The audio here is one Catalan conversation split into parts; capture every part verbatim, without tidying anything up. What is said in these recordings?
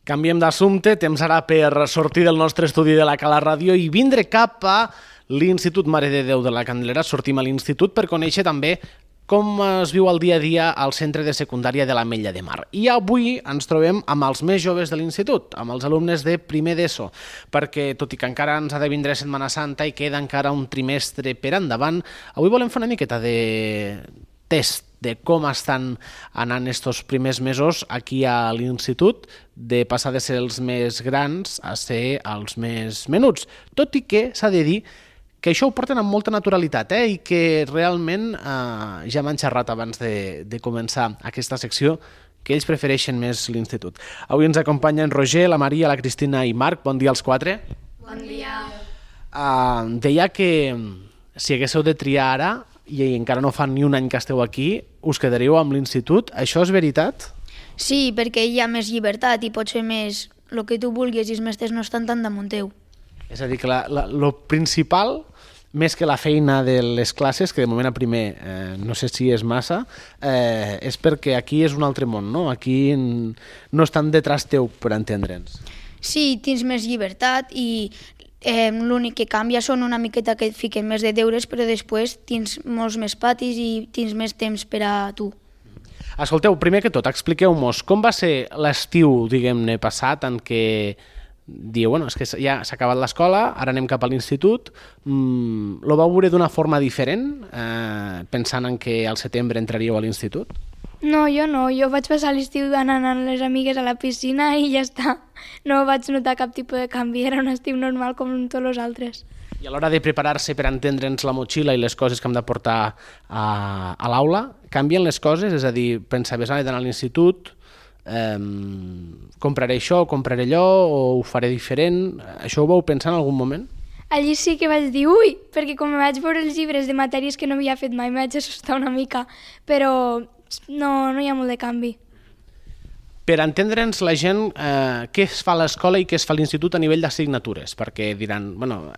Canviem d'assumpte, temps ara per sortir del nostre estudi de la Cala Ràdio i vindre cap a l'Institut Mare de Déu de la Candelera. Sortim a l'institut per conèixer també com es viu el dia a dia al centre de secundària de l'Ametlla de Mar. I avui ens trobem amb els més joves de l'institut, amb els alumnes de primer d'ESO, perquè tot i que encara ens ha de vindre Setmana Santa i queda encara un trimestre per endavant, avui volem fer una miqueta de test de com estan anant estos primers mesos aquí a l'institut, de passar de ser els més grans a ser els més menuts. Tot i que s'ha de dir que això ho porten amb molta naturalitat, eh? I que realment eh, ja m'han xerrat abans de, de començar aquesta secció que ells prefereixen més l'institut. Avui ens acompanyen Roger, la Maria, la Cristina i Marc. Bon dia als quatre. Bon dia. Uh, deia que si haguéssiu de triar ara, i encara no fa ni un any que esteu aquí, us quedaríeu amb l'institut. Això és veritat? Sí, perquè hi ha més llibertat i pots fer més el que tu vulguis i els mestres no estan tan damunt teu. És a dir, que la, la, lo principal, més que la feina de les classes, que de moment a primer eh, no sé si és massa, eh, és perquè aquí és un altre món, no? Aquí no estan detrás teu, per entendre'ns. Sí, tens més llibertat i eh, l'únic que canvia són una miqueta que et fiquen més de deures, però després tens molts més patis i tens més temps per a tu. Escolteu, primer que tot, expliqueu-nos com va ser l'estiu, diguem-ne, passat, en què diu, bueno, és que ja s'ha acabat l'escola, ara anem cap a l'institut. Mm, lo vau veure d'una forma diferent, eh, pensant en que al setembre entraríeu a l'institut? No, jo no. Jo vaig passar l'estiu anant amb les amigues a la piscina i ja està. No vaig notar cap tipus de canvi, era un estiu normal com tots els altres. I a l'hora de preparar-se per entendre'ns la motxilla i les coses que hem de portar a, a l'aula, canvien les coses? És a dir, pensaves, ah, he d'anar a l'institut, eh, compraré això, compraré allò, o ho faré diferent? Això ho vau pensar en algun moment? Allí sí que vaig dir, ui, perquè com vaig veure els llibres de matèries que no havia fet mai, m'haig assustar una mica, però no, no hi ha molt de canvi. Per entendre'ns la gent, eh, què es fa a l'escola i què es fa a l'institut a nivell d'assignatures, perquè diran, bueno,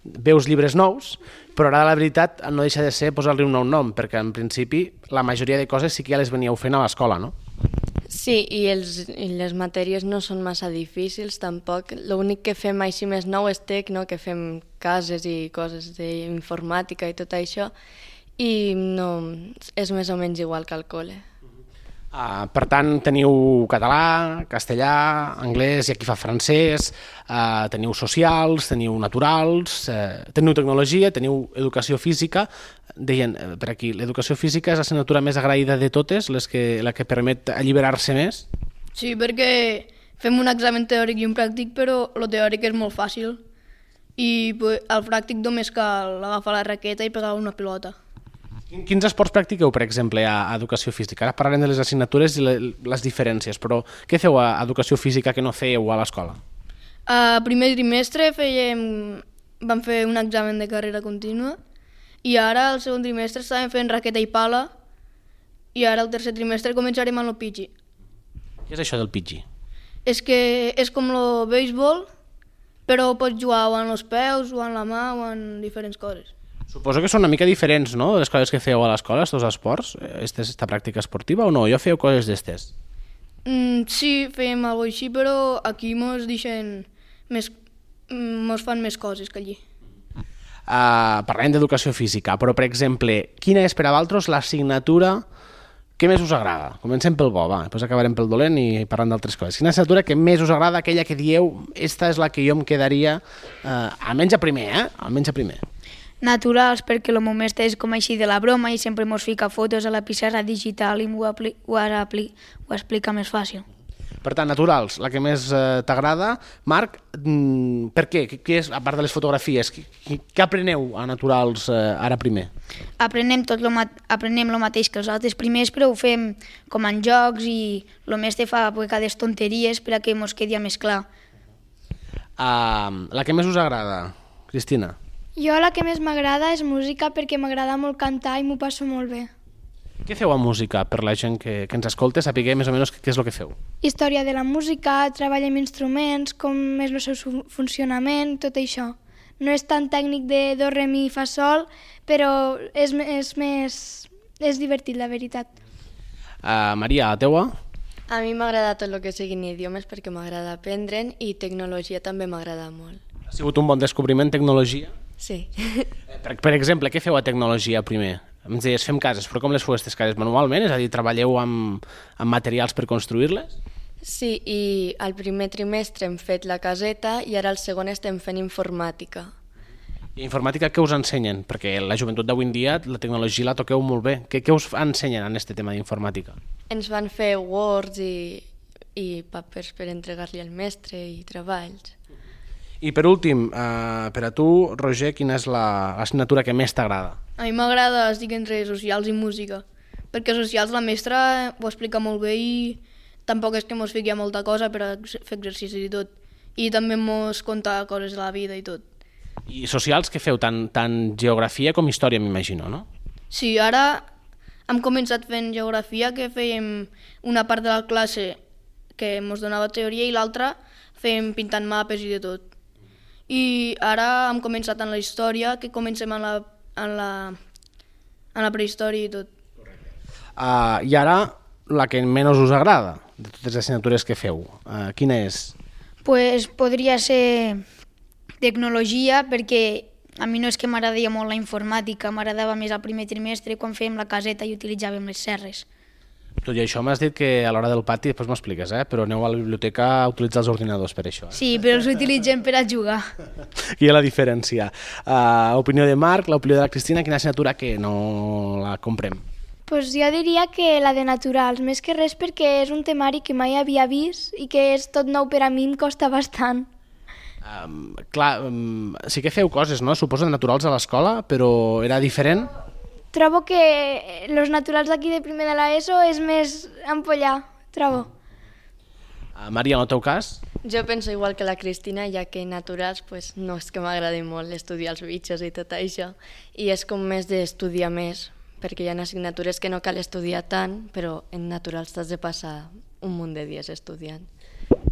veus llibres nous, però ara la veritat no deixa de ser posar-li un nou nom, perquè en principi la majoria de coses sí que ja les veníeu fent a l'escola, no? Sí, i, els, i les matèries no són massa difícils tampoc. L'únic que fem així més nou és tec, no? Que fem cases i coses d'informàtica i tot això, i no, és més o menys igual que al col·le. Uh, per tant, teniu català, castellà, anglès, i aquí fa francès, uh, teniu socials, teniu naturals, uh, teniu tecnologia, teniu educació física. Deien, uh, per aquí, l'educació física és l'assignatura més agraïda de totes, les que, la que permet alliberar-se més? Sí, perquè fem un examen teòric i un pràctic, però el teòric és molt fàcil. I pues, el pràctic només cal agafar la raqueta i pegar una pilota. Quins esports practiqueu, per exemple, a educació física? Ara parlarem de les assignatures i les diferències, però què feu a educació física que no fèieu a l'escola? A primer trimestre fèiem, vam fer un examen de carrera contínua i ara al segon trimestre estàvem fent raqueta i pala i ara al tercer trimestre començarem amb el pitxi. Què és això del pitxi? És que és com el béisbol, però pots jugar o en els peus, o en la mà, o en diferents coses. Suposo que són una mica diferents, no?, de les coses que fèieu a l'escola, estos esports, aquesta pràctica esportiva, o no? Jo fèieu coses d'estes? Mm, sí, fèiem alguna cosa així, però aquí mos deixen més, mos fan més coses que allí. Uh, parlem d'educació física, però, per exemple, quina és per a vosaltres l'assignatura que més us agrada? Comencem pel bo, va, després acabarem pel dolent i parlant d'altres coses. Quina assignatura que més us agrada, aquella que dieu, esta és la que jo em quedaria, uh, almenys a primer, eh? Almenys a primer. Naturals, perquè el meu mestre és com així de la broma i sempre mos fica fotos a la pissarra digital i ho, apli ho, apli ho explica més fàcil. Per tant, naturals, la que més eh, t'agrada. Marc, mm, per què? Què és, a part de les fotografies, què, què apreneu a naturals eh, ara primer? Aprenem tot lo aprenem el mateix que els altres primers, però ho fem com en jocs i el mestre fa vegades tonteries per a que mos quedi més clar. Uh, la que més us agrada, Cristina? Jo la que més m'agrada és música perquè m'agrada molt cantar i m'ho passo molt bé. Què feu a música per la gent que, que ens escolta, sapigueu més o menys què és el que feu? Història de la música, treball amb instruments, com és el seu funcionament, tot això. No és tan tècnic de do, re, mi, fa, sol, però és, és més... és divertit, la veritat. Uh, Maria, la teua? A mi m'agrada tot el que siguin idiomes perquè m'agrada aprendre'n i tecnologia també m'agrada molt. Ha sigut un bon descobriment, tecnologia? Sí. Per, per exemple, què feu a tecnologia primer? Em deies, fem cases, però com les feu aquestes cases? Manualment? És a dir, treballeu amb, amb materials per construir-les? Sí, i al primer trimestre hem fet la caseta i ara al segon estem fent informàtica. I informàtica què us ensenyen? Perquè la joventut d'avui en dia la tecnologia la toqueu molt bé. Què, què us ensenyen en aquest tema d'informàtica? Ens van fer Words i, i papers per entregar-li al mestre i treballs. I per últim, eh, per a tu, Roger, quina és l'assignatura que més t'agrada? A mi m'agrada, estic entre socials i música, perquè socials la mestra ho explica molt bé i tampoc és que mos fiqui a molta cosa per a fer exercicis i tot. I també mos conta coses de la vida i tot. I socials què feu? Tant, tant geografia com història, m'imagino, no? Sí, ara hem començat fent geografia, que fèiem una part de la classe que ens donava teoria i l'altra fèiem pintant mapes i de tot. I ara hem començat en la història, que comencem en la, en la, en la prehistòria i tot. Uh, I ara, la que menys us agrada de totes les assignatures que feu, uh, quina és? Pues podria ser tecnologia, perquè a mi no és que m'agradaria molt la informàtica, m'agradava més al primer trimestre quan fèiem la caseta i utilitzàvem les serres. Tot i això m'has dit que a l'hora del pati, després m'expliques, eh? Però aneu a la biblioteca a utilitzar els ordinadors per això. Eh? Sí, però els utilitzem per a jugar. Aquí hi ha la diferència. Uh, opinió de Marc, l'opinió de la Cristina, quina assignatura que no la comprem? Pues jo diria que la de naturals, més que res perquè és un temari que mai havia vist i que és tot nou per a mi, em costa bastant. Um, clar, um, sí que feu coses, no? Suposo de naturals a l'escola, però era diferent? Trobo que els naturals d'aquí de primer de l'ESO és més ampollar, trobo. Uh, Maria, en el teu cas? Jo penso igual que la Cristina, ja que naturals pues, no és que m'agradi molt estudiar els bitxos i tot això, i és com més d'estudiar més, perquè hi ha assignatures que no cal estudiar tant, però en naturals t'has de passar un munt de dies estudiant.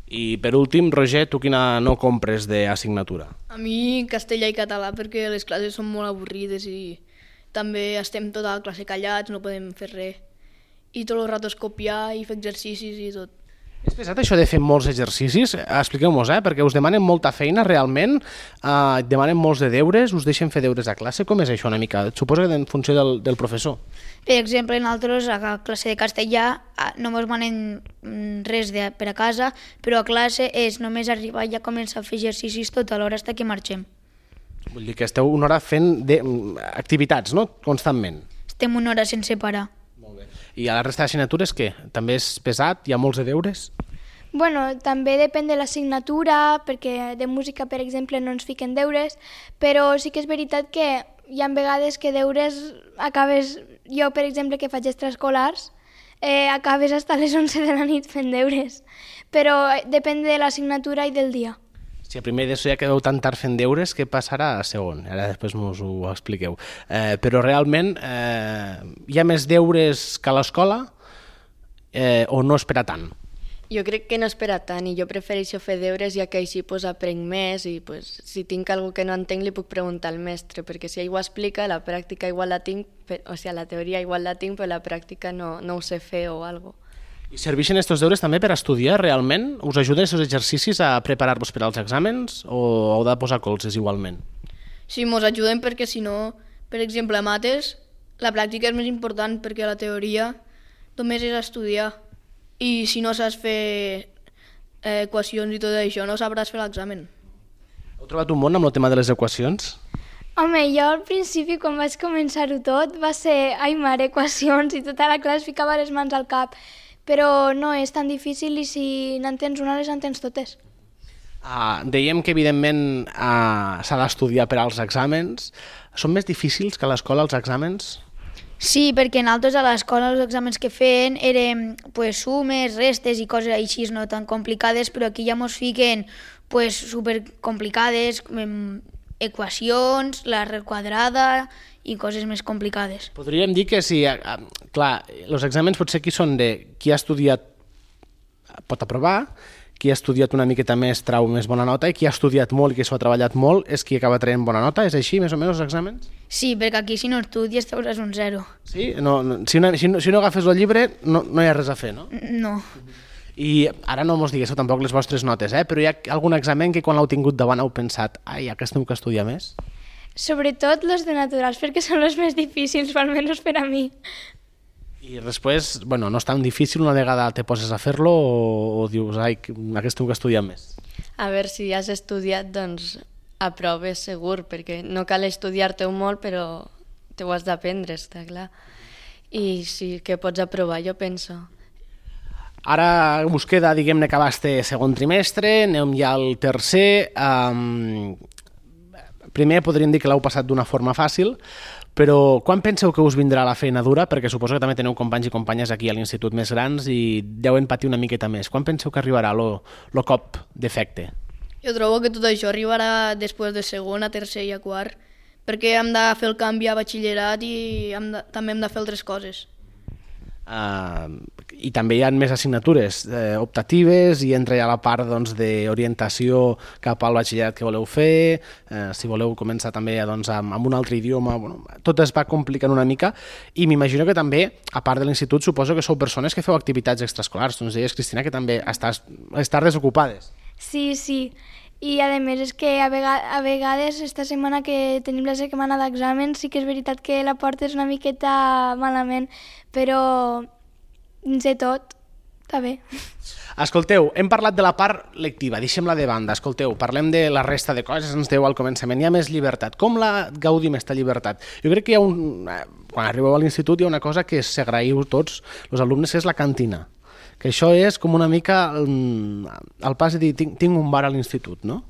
I per últim, Roger, tu quina no compres d'assignatura? A mi castellà i català, perquè les classes són molt avorrides i també estem tota la classe callats, no podem fer res. I tot el rato és copiar i fer exercicis i tot. És pesat això de fer molts exercicis? Expliqueu-mos, eh? Perquè us demanen molta feina realment, eh, et demanen molts de deures, us deixen fer deures a classe, com és això una mica? Suposo que en funció del, del professor. Per exemple, nosaltres a classe de castellà no ens demanen res de, per a casa, però a classe és només arribar i ja començar a fer exercicis tota l'hora fins que marxem. Vull dir que esteu una hora fent de, activitats, no? Constantment. Estem una hora sense parar. Molt bé. I a la resta d'assignatures què? També és pesat? Hi ha molts de deures? Bueno, també depèn de l'assignatura, perquè de música, per exemple, no ens fiquen deures, però sí que és veritat que hi ha vegades que deures acabes... Jo, per exemple, que faig extraescolars, eh, acabes fins a les onze de la nit fent deures, però depèn de l'assignatura i del dia. Si a primer d'ESO ja quedeu tan tard fent deures, què passarà a segon? Ara després us ho expliqueu. Eh, però realment eh, hi ha més deures que a l'escola eh, o no espera tant? Jo crec que no espera tant i jo prefereixo fer deures ja que així pues, aprenc més i pues, si tinc alguna que no entenc li puc preguntar al mestre, perquè si ell ho explica, la pràctica igual la tinc, o sigui, la teoria igual la tinc, però la pràctica no, no ho sé fer o alguna cosa. I serveixen aquests deures també per estudiar realment? Us ajuden aquests exercicis a preparar-vos per als exàmens o heu de posar colzes igualment? Sí, ens ajuden perquè si no, per exemple, a mates, la pràctica és més important perquè la teoria només és estudiar. I si no saps fer eh, equacions i tot això, no sabràs fer l'examen. Heu trobat un món amb el tema de les equacions? Home, jo al principi, quan vaig començar-ho tot, va ser, ai mare, equacions, i tota la classe ficava les mans al cap. Però no és tan difícil i si n'entens una, les entens totes. Uh, dèiem que, evidentment, uh, s'ha d'estudiar per als exàmens. Són més difícils que a l'escola els exàmens? Sí, perquè nosaltres a l'escola els exàmens que feien eren pues, sumes, restes i coses així no tan complicades, però aquí ja ens fiquen pues, supercomplicades, equacions, la requadrada i coses més complicades. Podríem dir que si, clar, els exàmens potser aquí són de qui ha estudiat pot aprovar qui ha estudiat una miqueta més trau més bona nota i qui ha estudiat molt i qui s'ho ha treballat molt és qui acaba traient bona nota? És així, més o menys, els exàmens? Sí, perquè aquí si no estudies trauràs un zero. Sí? No, no, si, una, si, no, si no agafes el llibre no, no hi ha res a fer, no? No. I ara no mos diguéssiu tampoc les vostres notes, eh? Però hi ha algun examen que quan l'heu tingut davant heu pensat ai, aquest tinc que estudiar més? Sobretot los de naturals, perquè són els més difícils, almenys per a mi. I després, bueno, no és tan difícil, una vegada te poses a fer-lo o, o dius, ai, aquest tinc que estudiar més? A veure, si has estudiat, doncs aproves segur, perquè no cal estudiar-te-ho molt, però te ho has d'aprendre, està clar. I sí que pots aprovar, jo penso. Ara us queda, diguem-ne, acabar este segon trimestre, anem ja al tercer. Um, primer podríem dir que l'heu passat d'una forma fàcil, però quan penseu que us vindrà la feina dura? Perquè suposo que també teniu companys i companyes aquí a l'institut més grans i deuen patir una miqueta més. Quan penseu que arribarà el cop d'efecte? Jo trobo que tot això arribarà després de segon, a tercer i a quart, perquè hem de fer el canvi a batxillerat i hem de, també hem de fer altres coses. Uh, I també hi ha més assignatures eh, optatives i entra ja la part doncs, d'orientació cap al batxillerat que voleu fer, eh, si voleu començar també doncs, amb, amb un altre idioma, bueno, tot es va complicant una mica i m'imagino que també, a part de l'institut, suposo que sou persones que feu activitats extraescolars. Tu ens deies, Cristina, que també estàs, estàs desocupades. Sí, sí. I a més és que a, vega a vegades esta setmana que tenim la setmana d'exàmens sí que és veritat que la portes una miqueta malament, però dins de tot està bé. Escolteu, hem parlat de la part lectiva, deixem-la de banda. Escolteu, parlem de la resta de coses, ens deu al començament. Hi ha més llibertat. Com la gaudim, aquesta llibertat? Jo crec que hi ha un... quan arribeu a l'institut hi ha una cosa que s'agraïu tots els alumnes, que és la cantina. Que això és com una mica el pas de dir, tinc, tinc un bar a l'institut, no?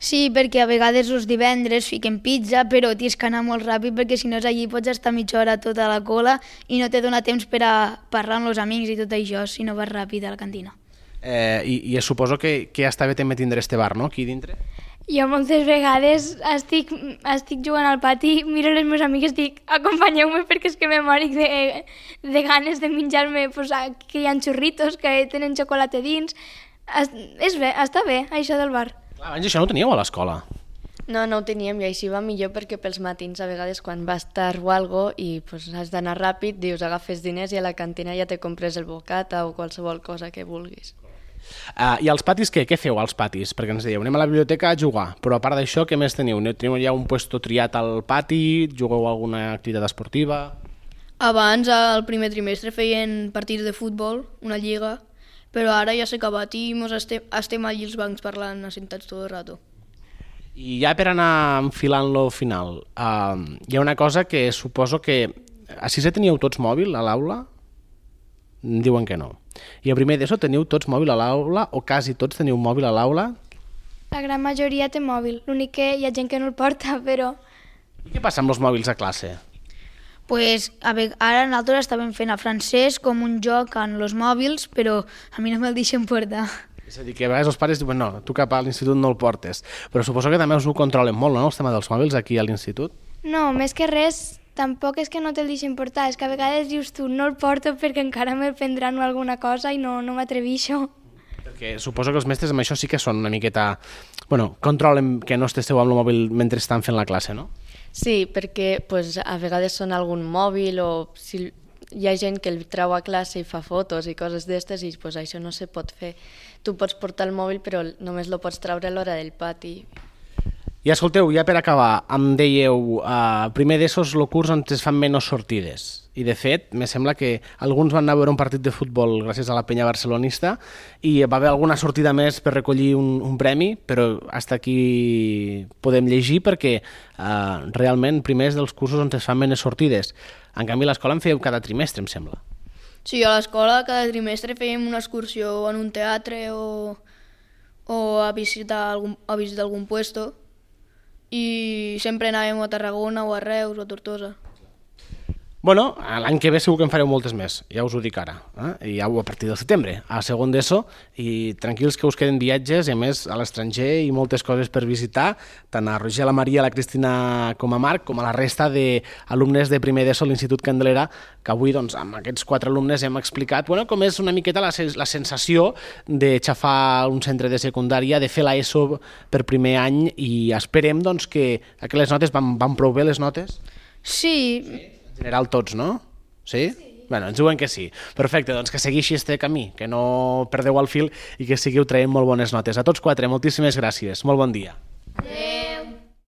Sí, perquè a vegades els divendres fiquen pizza, però tens que anar molt ràpid perquè si no és allí pots estar mitja hora tota la cola i no te dona temps per a parlar amb els amics i tot això si no vas ràpid a la cantina. Eh, i, I suposo que, que està bé també tindre este bar, no?, aquí dintre? Jo moltes vegades estic, estic jugant al pati, miro les meves amigues i dic acompanyeu-me perquè és que me moric de, de ganes de menjar-me pues, que hi ha xurritos, que tenen xocolata dins. Es, és bé, està bé, això del bar. Clar, abans això no ho teníeu a l'escola. No, no ho teníem i així va millor perquè pels matins a vegades quan vas tard o algo i pues, has d'anar ràpid, dius agafes diners i a la cantina ja te compres el bocata o qualsevol cosa que vulguis. Uh, I als patis què? Què feu als patis? Perquè ens dèieu, anem a la biblioteca a jugar, però a part d'això, què més teniu? Teniu ja un puesto triat al pati? Jugueu a alguna activitat esportiva? Abans, al primer trimestre, feien partits de futbol, una lliga, però ara ja s'ha acabat i mos estem, estem allí als bancs parlant, assentats tot el rato. I ja per anar enfilant-lo final, uh, hi ha una cosa que suposo que a sisè teníeu tots mòbil a l'aula? Diuen que no. I a primer d'ESO teniu tots mòbil a l'aula o quasi tots teniu mòbil a l'aula? La gran majoria té mòbil, l'únic que hi ha gent que no el porta, però... I què passa amb els mòbils a classe? Pues, a ve ara nosaltres estàvem fent a francès com un joc en els mòbils, però a mi no me'l deixen portar. És a dir, que a vegades els pares diuen no, tu cap a l'institut no el portes, però suposo que també us ho controlen molt, no?, el tema dels mòbils aquí a l'institut? No, més que res, tampoc és que no te'l deixen portar, és que a vegades dius tu no el porto perquè encara me'l prendran o alguna cosa i no, no m'atrevixo. Perquè suposo que els mestres amb això sí que són una miqueta... Bueno, controlen que no esteu amb el mòbil mentre estan fent la classe, no? Sí, perquè pues, a vegades són algun mòbil o si hi ha gent que el treu a classe i fa fotos i coses d'estes i pues, això no se pot fer. Tu pots portar el mòbil però només lo pots treure a l'hora del pati. I escolteu, ja per acabar, em dèieu, uh, primer d'ESO és el curs on es fan menys sortides. I de fet, me sembla que alguns van anar a veure un partit de futbol gràcies a la penya barcelonista i va haver alguna sortida més per recollir un, un premi, però hasta aquí podem llegir perquè uh, realment primer és dels cursos on es fan menys sortides. En canvi, a l'escola en fèieu cada trimestre, em sembla. Sí, a l'escola cada trimestre fèiem una excursió en un teatre o, o a visitar algun, a visitar algun puesto i sempre anàvem a Tarragona o a Reus o a Tortosa. Bueno, l'any que ve segur que en fareu moltes més, ja us ho dic ara, eh? I ja a partir del setembre, a segon d'ESO, i tranquils que us queden viatges, i a més a l'estranger, i moltes coses per visitar, tant a Roger, la Maria, la Cristina com a Marc, com a la resta d'alumnes de primer d'ESO a l'Institut Candelera, que avui doncs, amb aquests quatre alumnes hem explicat bueno, com és una miqueta la, la sensació de xafar un centre de secundària, de fer l'ESO per primer any, i esperem doncs, que aquelles notes van, van prou bé, les notes? Sí. En general tots, no? Sí? Sí. Bueno, ens diuen que sí. Perfecte, doncs que segueixi este camí, que no perdeu el fil i que seguiu traient molt bones notes. A tots quatre, moltíssimes gràcies. Molt bon dia. Adéu.